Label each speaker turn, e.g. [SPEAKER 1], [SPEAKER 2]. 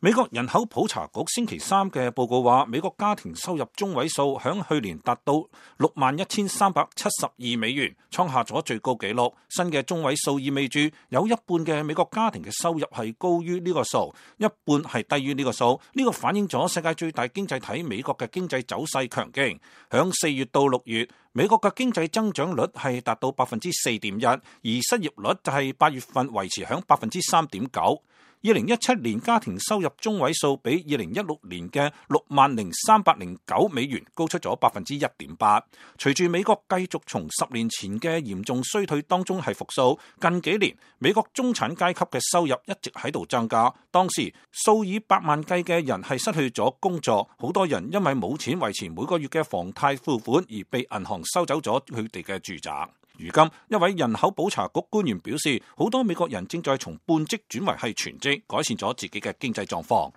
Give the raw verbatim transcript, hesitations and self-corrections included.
[SPEAKER 1] 美國人口普查局星期三嘅報告話，美國家庭收入中位數響去年達到六萬一千三百七十二美元，創下咗最高紀錄。新嘅中位數意味住有一半嘅美國家庭嘅收入係高於呢個數，一半係低於呢個數。呢個反映咗世界最大經濟體美國嘅經濟走勢強勁。響四月到六月，美國嘅經濟增長率係達到百分之四點一，而失業率就係八月份維持響百分之三點九。二零一七年家庭收入中位數比二零一六年嘅六萬零三百零九美元高出咗百分之一點八。隨住美國繼續從十年前嘅嚴重衰退當中係復甦，近幾年美國中產階級嘅收入一直喺度增加。當時數以百萬計嘅人係失去咗工作，好多人因為冇錢維持每個月嘅房貸付款而被銀行收走咗佢哋嘅住宅。如今，一位人口普查局官員表示，好多美國人正在從半職轉為係全職，改善咗自己嘅經濟狀況。